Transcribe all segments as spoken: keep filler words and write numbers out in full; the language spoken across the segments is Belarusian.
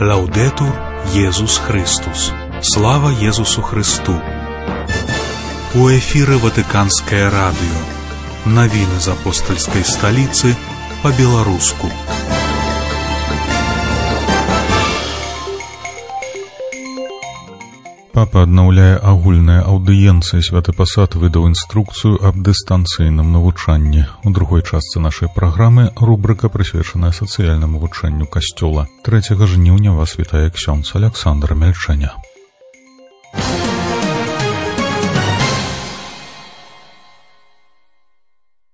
Лаудетур Єсус Христос. Слава Єсусу Христу. У эфире Ватиканское радио. Новины из апостольской столицы по-белорусски. Папа аднаўляе агульныя аўдыенцыі. Святы пасад выдаў інструкцыю аб дыстанцыйным навучанні. У другой частцы нашай праграмы рубрыка, прысвечаная сацыяльнаму вывучэнню касцёла. трэцяга жніўня вас вітае ксёндз Аляксандр Мельчэня.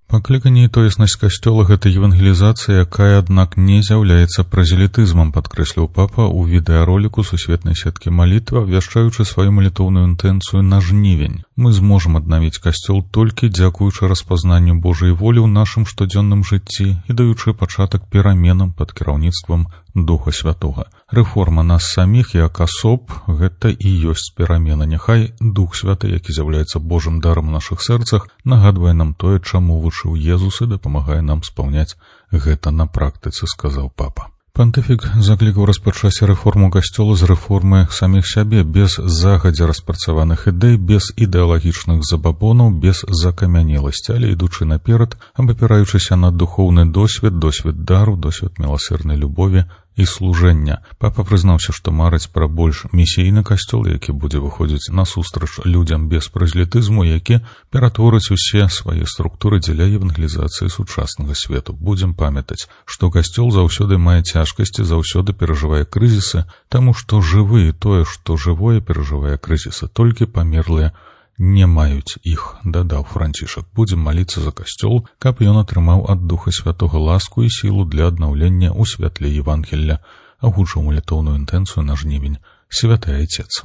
Пакліканне і тоеснасць касцёла — гэта евангелізацыя, якая, аднак, не з'яўляецца празелітызмам, падкрэсліў папа ў відэароліку сусветнай сеткі малітва, абвяшчаючы сваю малітоўную інтэнцыю на жнівень. Мы зможам аднавіць касцёл толькі дзякуючы распазнанню Божай волі ў нашым штодзённым жыцці і даючы пачатак пераменам пад кіраўніцтвам Духа Святога. Рэформа нас саміх як асоб — гэта і ёсць перамена. Няхай Дух Святы, які з'яўляецца Божым дарам у нашых сэрцах, нагадвае нам тое, чаму вучыў Езус, і дапамагае нам спаўняць гэта на практыцы, сказаў папа. Пантыфік заклікаў распачаць рэформу касцёла з рэформы саміх сябе, без загадзя распрацаваных ідэй, без ідэалагічных забабонаў, без закамянеласці, але ідучы наперад, абапіраючыся на духоўны досвед, досвед дару, досвед міласэрнай любові і служэння. Папа прызнаўся, што марыць пра больш місійны касцёл, які будзе выходзіць насустрач людзям без празелітызму, які ператворыць усе свае структуры дзеля евангелізацыі сучаснага свету. Будзем памятаць, што касцёл заўсёды мае цяжкасці, заўсёды перажывае крызісы, таму што жывы і тое, што жывое, перажывае крызісы. Толькі памерлыя не маюць іх, дадаў Францішак. Будзем маліцца за касцёл, каб ён атрымаў ад Духа Святога ласку і сілу для аднаўлення ў святле Евангелля. Агучыў малітоўную інтэнцыю на жнівень святы Айцец.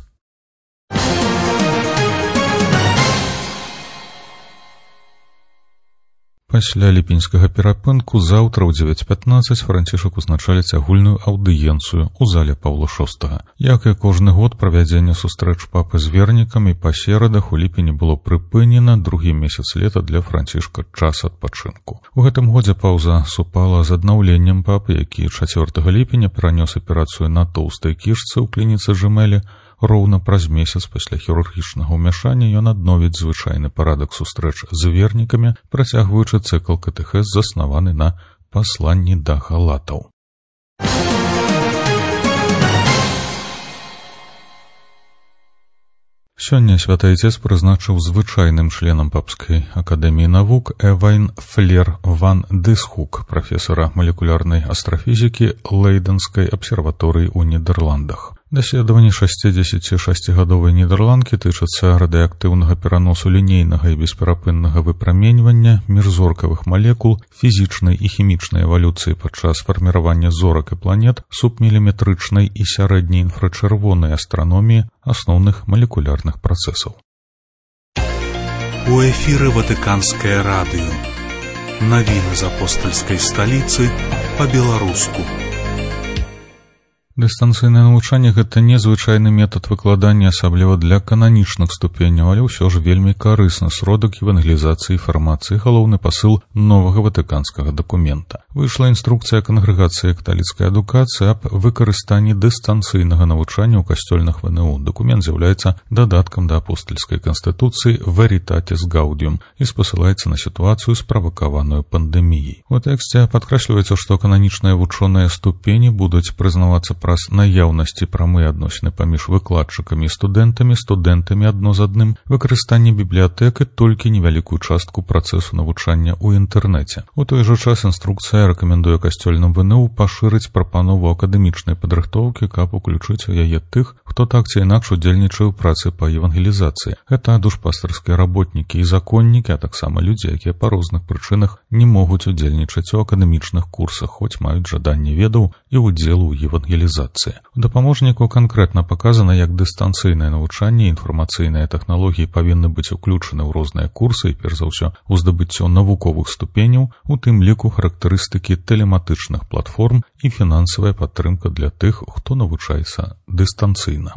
Пасля ліпеньскага перапынку заўтра ў дзевяць пятнаццаць Францішак узначаліць агульную аўдыенцыю ў зале Паўла шостага. Як і кожны год, правядзенне сустрэч папы з вернікамі па серадах у ліпені было прыпынена. Другі месяц лета для Францішка час адпачынку. У гэтым годзе паўза супала з аднаўленнем папы, які чацвёртага ліпеня перанёс аперацыю на тоўстай кішцы ў клініцы Жэмелі. Роўна праз месяц пасля хірургічнага ўмяшання ён адновіць звычайны парадак сустрэч з вернікамі, працягваючы цыкл катэхез, заснаваны на пасланні да галатаў. Сёння святы Айцец прызначыў звычайным членам папскай акадэміі навук Эвайн Флер ван Дысхук, прафесара малекулярнай астрафізікі Лейдэнскай абсерваторыі ў Нідерландах. Даследаванні шасцідзесяцішасцігадовай нідэрландкі тычацца радыеактыўнага пераносу лінейнага і бесперапыннага выпраменьвання міжзоркавых малекул, фізічнай і хімічнай эвалюцыі падчас фарміравання зорак і планет, субміліметрычнай і сярэдняй інфрачырвонай астраноміі, асноўных малекулярных працэсаў. У эфіры Ватыканскае радыё. Навіны з апостальскай сталіцы па-беларуску. Дыстанцыйнае навучанне — гэта незвычайны метад выкладання, асабліва для кананічных ступеняў, але ўсё ж вельмі карысны сродак евангелізацыі інфармацыі, галоўны пасыл новага ватыканскага дакумента. Выйшла інструкцыя кангрэгацыі каталіцкай адукацыі аб выкарыстанні дыстанцыйнага навучання ў касцёльных ВНУ. Дакумент з'яўляецца дадаткам да апостальскай канстытуцыі Veritatis Gaudium і спасылаецца на сітуацыю, справакаваную пандэміяй. У тэксце падкрэсліваецца, што кананічныя вучоныя ступені будуць прызнавацца праз наяўнасці прамыя адносіны паміж выкладчыкамі і студэнтамі, студэнтамі адно з адным, выкарыстанне бібліятэк і толькі невялікую частку працэсу навучання ў інтэрнэце. У той жа час інструкцыя рэкамендуе касцёльным ВНУ пашырыць прапанову акадэмічнай падрыхтоўкі, каб уключыць у яе тых, хто так ці інакш удзельнічае ў працы па евангелізацыі. Гэта душпастарскія работнікі і законнікі, а таксама людзі, якія па розных прычынах не могуць удзельнічаць у акадэмічных курсах, хоць маюць жаданне ведаў і ўдзелу ў евангелізацыі. У дапаможніку канкрэтна паказана, як дыстанцыйнае навучанне і інфармацыйныя тэхналогіі павінны быць уключаны ў розныя курсы і, перш за ўсё, у здабыццё навуковых ступеняў, у тым ліку характарыстыкі тэлематычных платформ і фінансавая падтрымка для тых, хто навучаецца дыстанцыйна.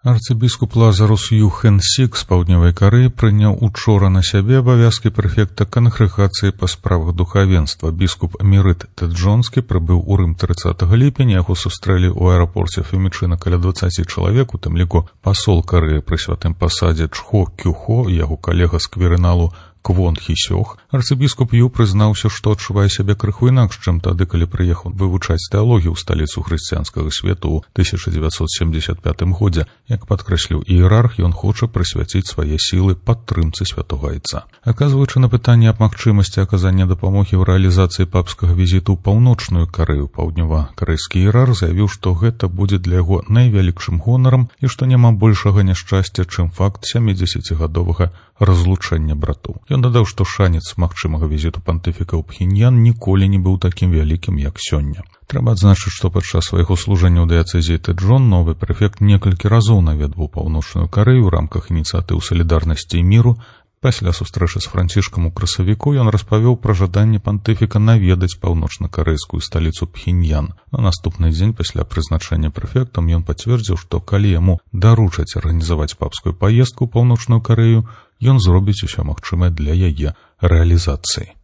Арцыбіскуп Лазарус Юхэн Сік з паўднёвай Карэі прыняў учора на сябе абавязкі прэфекта кангрэгацыі па справах духавенства. Біскуп Мірыт Тэджонскі прыбыў у Рым трыццатага ліпеня, яго сустрэлі ў аэрапорце Фемічына каля дваццаці чалавек, у тым ліку пасол Карэі пры святым пасадзе Чхо Кюхо і яго калега з кверыналу Квон Хісёх. Арцыбіскуп Ю прызнаўся, што адчувае сябе крыху інакш, чым тады, калі прыехаў вывучаць тэалогію ў сталіцу хрысціянскага свету ў тысяча дзевяцьсот семдзесят пятым годзе. Як падкрэсліў іерарх, ён хоча прысвяціць свае сілы падтрымцы святога айца. Аказваючы на пытанне аб магчымасці аказання дапамогі ў рэалізацыі папскага візіту ў паўночную Карэю, паўднёва-карэйскі іерарх заявіў, што гэта будзе для яго найвялікшым гонарам і што няма большага няшчасця, чым факт сямідзесяцігадовага разлучэння братоў. Ён дадаў, што шанец магчымага візіту пантыфіка ў Пхеньян ніколі не быў такім вялікім, як сёння. Трэба адзначыць, што падчас свайго служэння ў дыяцэзіі Тэджон новы прэфект некалькі разоў наведваў паўночную Карэю ў рамках ініцыятыў салідарнасці і міру. Пасля сустрэчы з Францішкам у красавіку ён распавёў пра жаданне пантыфіка наведаць паўночна-карэйскую сталіцу Пхеньян. На наступны дзень пасля прызначэння прэфектам ён пацвердзіў, што калі яму даручаць арганізаваць папскую паездку ў паўночную Карэю, ён зробіць усё магчымае для яе рэалізацыі.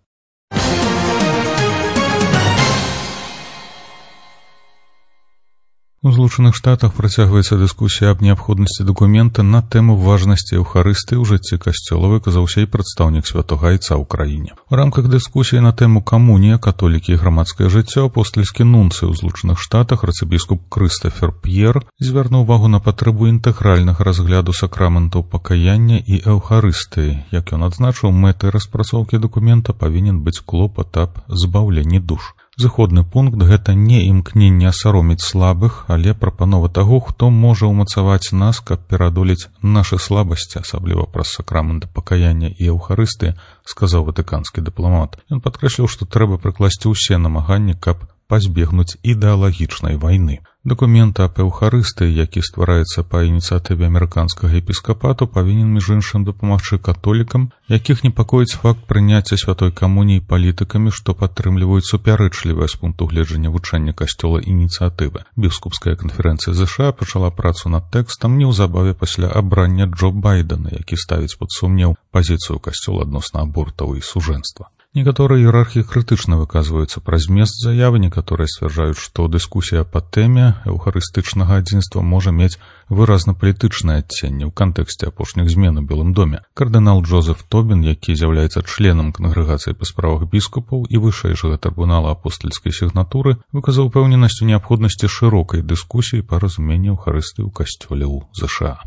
У Злучаных Штатах працягваецца дыскусія аб неабходнасці дакумента на тэму важнасці эўхарыстыі ў жыцці касцёла, выказаўся і прадстаўнік святога айца ў краіне. У рамках дыскусіі на тэму камунія, католікі і грамадскае жыццё апостальскі нунцый у Злучаных Штатах арцыбіскуп Крыстафер П'ер звярнуў увагу на патрэбу інтэгральнага разгляду сакраментаў пакаяння і эўхарыстыі. Як ён адзначыў, мэтай распрацоўкі дакумента павінен быць клопат аб збаўленні душ. Зыходны пункт – гэта не імкненне асароміць слабых, але прапанова таго, хто можа ўмацаваць нас, каб перадолець нашы слабасці, асабліва праз сакрамент пакаяння і эўхарыстыі, сказаў ватыканскі дыпламат. Ён падкрэсліў, што трэба прыкласці ўсе намаганні, каб пазбегнуць ідэалагічнай вайны. Дакумент аб эўхарыстыі, які ствараецца па ініцыятыве амерыканскага епіскапату, павінен між іншым дапамагчы католікам, якіх непакоіць факт прыняцця святой камуніі палітыкамі, што падтрымліваюць супярэчлівае з пункту гледжання вучэння касцёла ініцыятывы. Біскупская канферэнцыя ЗША пачала працу над тэкстам неўзабаве пасля абрання Джо Байдена, які ставіць пад сумнеў пазіцыю касцёла адносна абортаў і сужэнства. Некаторыя іерархі крытычна выказваюцца пра змест заявы, некаторыя сцвярджаюць, што дыскусія па тэме эўхарыстычнага адзінства можа мець выразна палітычнае адценне ў кантэксце апошніх змен у Белым доме. Кардынал Джозеф Тобін, які з'яўляецца членам кангрэгацыі па справах біскупаў і вышэйшага трыбунала апостальскай сігнатуры, выказаў упэўненасць у неабходнасці шырокай дыскусіі па разуменні эўхарыстыі ў касцёле ў ЗША.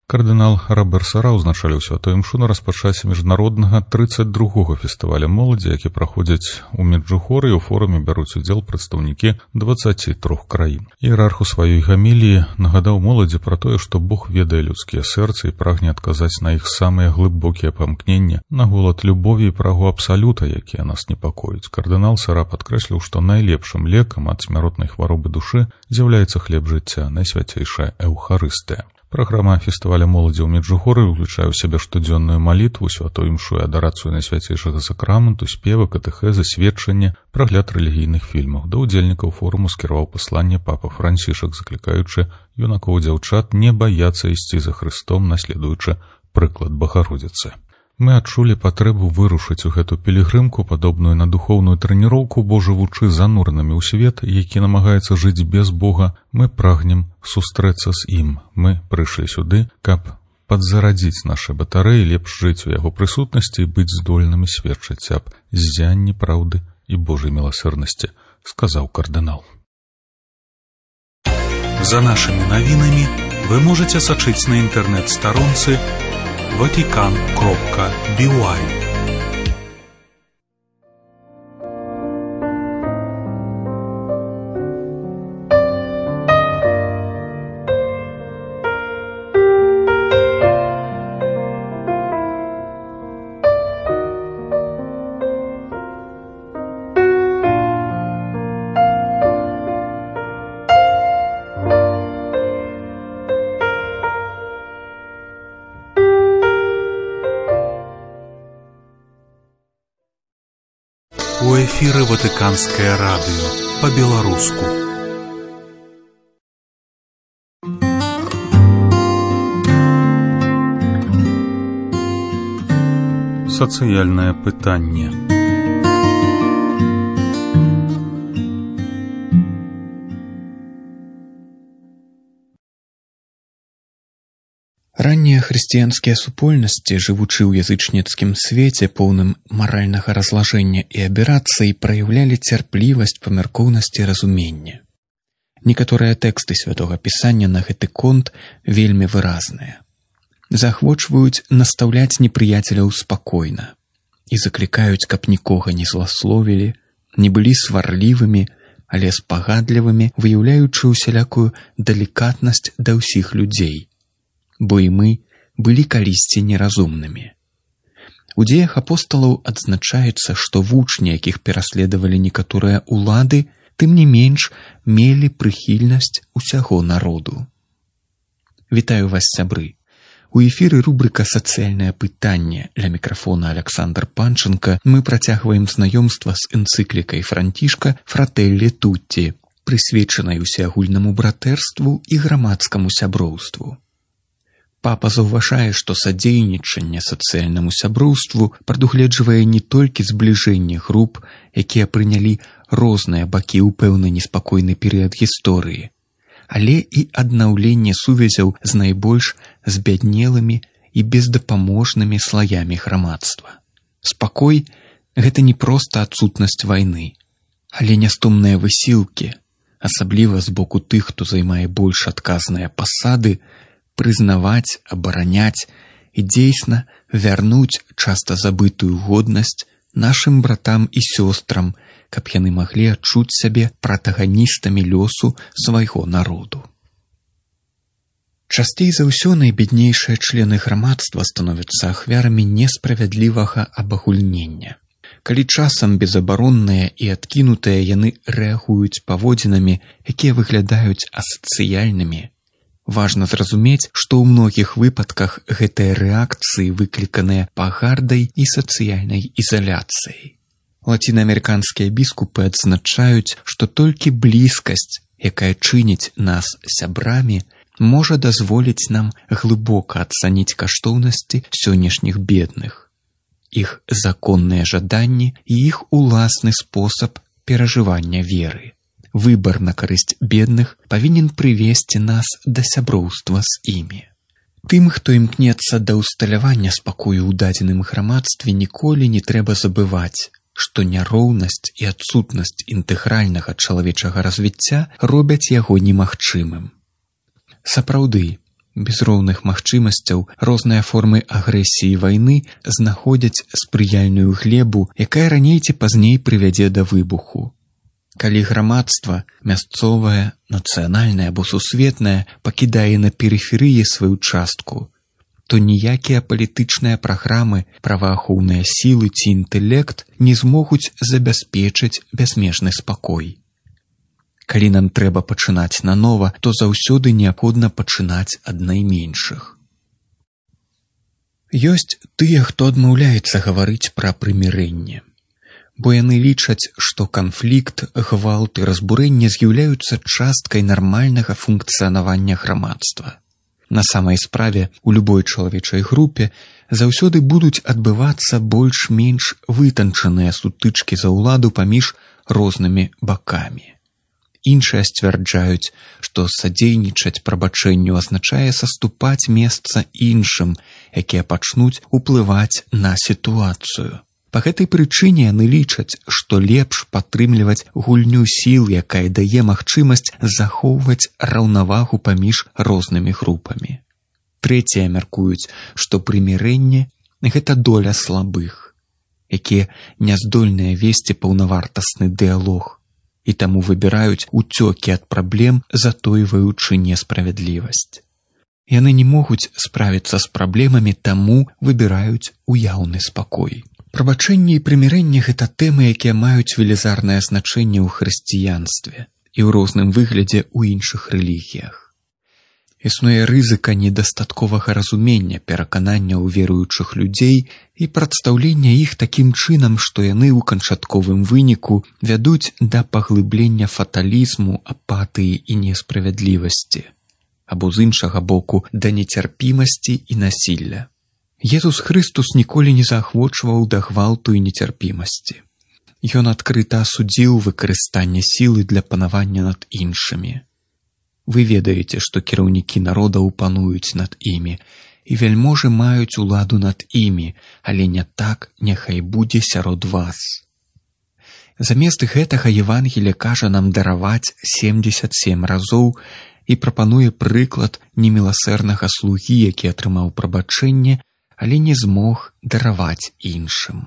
Кардынал Робер Сара ўзначаліў святую імшу на распачаце міжнароднага трыццаць другога фестываля моладзі, які праходзіць у Меджухоры, і ў форуме бяруць удзел прадстаўнікі дваццаці трох краін. Іерарх у сваёй гаміліі нагадаў моладзі пра тое, што Бог ведае людскія сэрцы і прагне адказаць на іх самыя глыбокія памкнення, на голад любові і прагу абсалюта, якія нас непакоюць. Кардынал Сара падкрэсліў, што найлепшым лекам ад смяротнай хваробы душы з'яўляецца хлеб жыцця, найсвяцейшая эўхарыстыя. Праграма фестываля моладзі ў Меджухоры ўключае ў сябе штодзённую малітву, святую імшу і адарацыю найсвяцейшага сакраменту, спевы, катэхезы, сведчанне, прагляд рэлігійных фільмаў. Да ўдзельнікаў форуму скіраваў пасланне папа Францішак, заклікаючы юнакоў і дзяўчат не баяцца ісці за Хрыстом, наследуючы прыклад Багародзіцы. Мы адчулі патрэбу вырушыць у гэту пілігрымку, падобную на духоўную трэніроўку, бо жывучы зануранымі ў свет, які намагаецца жыць без Бога, мы прагнем сустрэцца з ім. Мы прыйшлі сюды, каб падзарадзіць нашы батарэі, лепш жыць у яго прысутнасці і быць здольнымі сведчыць аб ззянні праўды і Божай міласэрнасці, сказаў кардынал. За нашымі навінамі вы можаце сачыць на інтэрнэт-старонцы ватикан кропка би уай. эфіры Ватыканскае радыё па-беларуску. Сацыяльнае пытанне. Раннія хрысціянскія супольнасці, жывучы ў язычніцкім свеце, поўным маральнага разлажэння і аберацый, праяўлялі цярплівасць, памяркоўнасць і разуменне. Некаторыя тэксты святога пісання на гэты конт вельмі выразныя. Заахвочваюць настаўляць непрыяцеляў спакойна і заклікаюць, каб нікога не зласловілі, не былі сварлівымі, але спагадлівымі, выяўляючы ўсялякую далікатнасць да ўсіх людзей, бо і мы былі калісьці неразумнымі. У дзеях апосталаў адзначаецца, што вучні, якіх пераследавалі некаторыя ўлады, тым не менш мелі прыхільнасць усяго народу. Вітаю вас, сябры! У эфіры рубрыка «Сацыяльнае пытанне». Ля мікрафона Александр Панченко. Мы працягваем знаёмства з энцыклікай Францішка «Фрателлі Тутті», прысвечанай усеагульнаму братэрству і грамадскаму сяброўству. Папа заўважае, што садзейнічанне сацыяльнаму сяброўству прадугледжвае не толькі збліжэнне груп, якія прынялі розныя бакі ў пэўны неспакойны перыяд гісторыі, але і аднаўленне сувязяў з найбольш збяднелымі і бездапаможнымі слаямі грамадства. Спакой – гэта не проста адсутнасць вайны, але нястомныя высілкі, асабліва з боку тых, хто займае больш адказныя пасады, прызнаваць, абараняць і дзейсна вярнуць часта забытую годнасць нашым братам і сёстрам, каб яны маглі адчуць сябе пратаганістамі лёсу свайго народу. Часцей за ўсё найбеднейшыя члены грамадства становяцца ахвярамі несправядлівага абагульнення. Калі часам безабаронныя і адкінутыя яны рэагуюць паводзінамі, якія выглядаюць асацыяльнымі, важна зразумець, што ў многіх выпадках гэтыя рэакцыі выкліканыя пагардай і сацыяльнай ізаляцыяй. Лацінаамерыканскія біскупы адзначаюць, што толькі блізкасць, якая чыніць нас сябрамі, можа дазволіць нам глыбока ацаніць каштоўнасці сённяшніх бедных, іх законныя жаданні і іх уласны спосаб перажывання веры. Выбар на карысць бедных павінен прывесці нас да сяброўства з імі. Тым, хто імкнецца да ўсталявання спакою ў дадзеным грамадстве, ніколі не трэба забываць, што няроўнасць і адсутнасць інтэгральнага чалавечага развіцця робяць яго немагчымым. Сапраўды, без роўных магчымасцяў розныя формы агрэсіі і вайны знаходзяць спрыяльную глебу, якая раней ці пазней прывядзе да выбуху. Калі грамадства, мясцовае, нацыянальнае або сусветнае, пакідае на перыферыі сваю частку, то ніякія палітычныя праграмы, праваахоўныя сілы ці інтэлект не змогуць забяспечыць бязмежны спакой. Калі нам трэба пачынаць нанова, то заўсёды неабходна пачынаць ад найменшых. Ёсць тыя, хто адмаўляецца гаварыць пра прымірэнне, бо яны лічаць, што канфлікт, гвалт і разбурэнне з'яўляюцца часткай нармальнага функцыянавання грамадства. На самай справе, у любой чалавечай групе заўсёды будуць адбывацца больш-менш вытанчаныя сутычкі за ўладу паміж рознымі бакамі. Іншыя сцвярджаюць, што садзейнічаць прабачэнню азначае саступаць месца іншым, якія пачнуць уплываць на сітуацыю. Па гэтай прычыне яны лічаць, што лепш падтрымліваць гульню сіл, якая дае магчымасць захоўваць раўнавагу паміж рознымі групамі. Трэція мяркуюць, што прымірэнне – гэта доля слабых, якія не здольныя весці паўнавартасны дыялог, і таму выбіраюць уцёкі ад праблем, затойваючы несправядлівасць. Яны не могуць справіцца з праблемамі, таму выбіраюць уяўны спакой. Прабачэнне і прымірэнне – гэта тэмы, якія маюць велізарнае значэнне ў хрысціянстве і ў розным выглядзе ў іншых рэлігіях. Існуе рызыка недастатковага разумення перакананняў веруючых людзей і прадстаўлення іх такім чынам, што яны ў канчатковым выніку вядуць да паглыблення фаталізму, апатыі і несправядлівасці, або з іншага боку да нецярпімасці і насілля. Езус Хрыстус ніколі не заахвочваў да гвалту і нецярпімасці. Ён адкрыта асудзіў выкарыстанне сілы для панавання над іншымі. Вы ведаеце, што кіраўнікі народаў пануюць над імі, і вяльможы маюць уладу над імі, але не так няхай будзе сярод вас. Замест гэтага Евангелие кажа нам дараваць семдзесят сем разоў і прапануе прыклад неміласэрнага слугі, які атрымаў прабачэнне, але не змог дараваць іншым.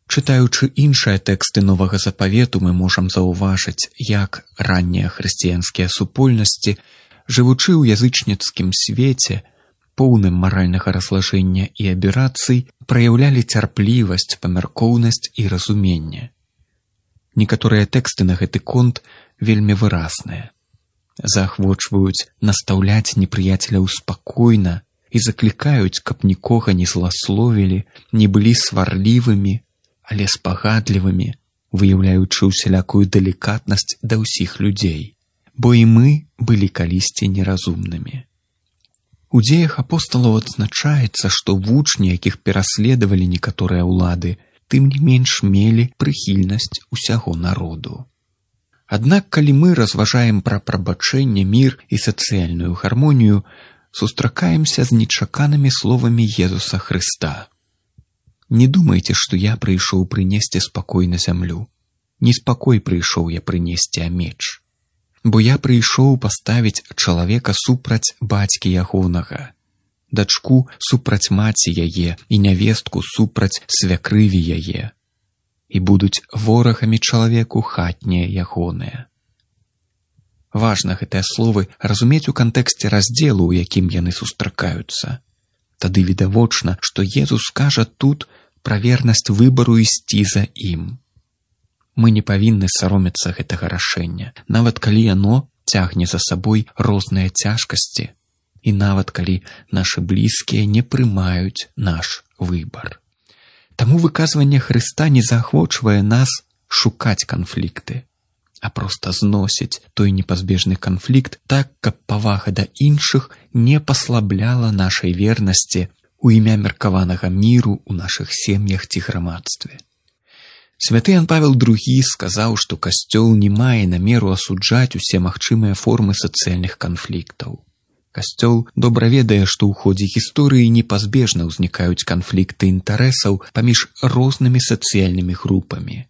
Чытаючы іншыя тэксты Новага Запавету, мы можам заўважыць, як раннія хрысціянскія супольнасці, жывучы ў язычніцкім свеце, поўным маральнага разлажэння і аберацый, праяўлялі цярплівасць, памяркоўнасць і разуменне. Некаторыя тэксты на гэты конт вельмі выразныя. Заахвочваюць настаўляць непрыяцеляў спакойна і заклікаюць, каб нікога не зласловілі, не былі сварлівымі, але спагадлівымі, выяўляючы ўсялякую далікатнасць да ўсіх людзей, бо і мы былі калісьці неразумнымі. У дзеях апосталаў адзначаецца, што вучні, якіх пераследавалі некаторыя ўлады, тым не менш мелі прыхільнасць усяго народу. Аднак, калі мы разважаем пра прабачэнне, мір і сацыяльную гармонію, сустракаемся з нечаканымі словамі Езуса Хрыста. Не думайце, што я прыйшоў прынесці спакой на зямлю. Неспакой прыйшоў я прынесці, а меч. Бо я прыйшоў паставіць чалавека супраць бацькі ягонага, дачку супраць маці яе і нявестку супраць свякрыві яе. І будуць ворагамі чалавеку хатнія ягоныя. Важна гэтыя словы разумець у кантэксце раздзелу, у якім яны сустракаюцца. Тады відавочна, што Езус кажа тут пра вернасць выбару ісці за ім. Мы не павінны саромецца гэтага рашэння, нават калі яно цягне за сабой розныя цяжкасці, і нават калі нашы блізкія не прымаюць наш выбар. Таму выказванне Хрыста не заахвочвае нас шукаць канфлікты, а проста зносіць той непазбежны канфлікт так, каб павага да іншых не паслабляла нашай вернасці у імя меркаванага міру ў нашых сем'ях ці грамадстве. Святы Ян Павел другі сказаў, што Касцёл не мае намеру асуджаць усе магчымыя формы сацыяльных канфліктаў. Касцёл добра ведае, што ў ходзе гісторыі непазбежна ўзнікаюць канфлікты інтарэсаў паміж рознымі сацыяльнымі групамі,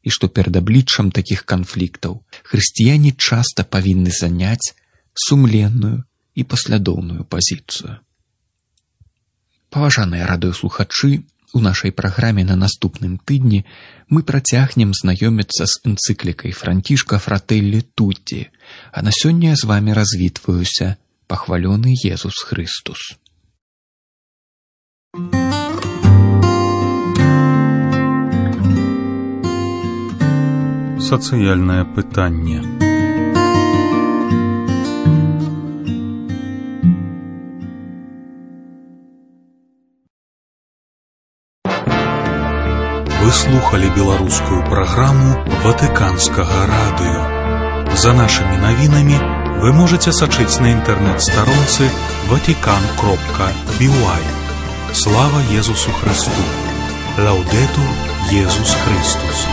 і што перад абліччам такіх канфліктаў хрысціяне часта павінны заняць сумленную і паслядоўную пазіцыю. Паважаныя радыёслухачы, у нашай праграме на наступным тыдні мы працягнем знаёміцца з энцыклікай Францішка Фрателлі Тутті, а на сёння з вамі развітваюся, пахвалёны Езус Хрыстус. Сацыяльнае пытанне. Вы слухали беларускую праграму Ватыканскага радыё. За нашымі навінамі вы можете сачыць на інтэрнэт-старонцы ватикан кропка би уай. Слава Езусу Христу! Лаудетур Езус Христус!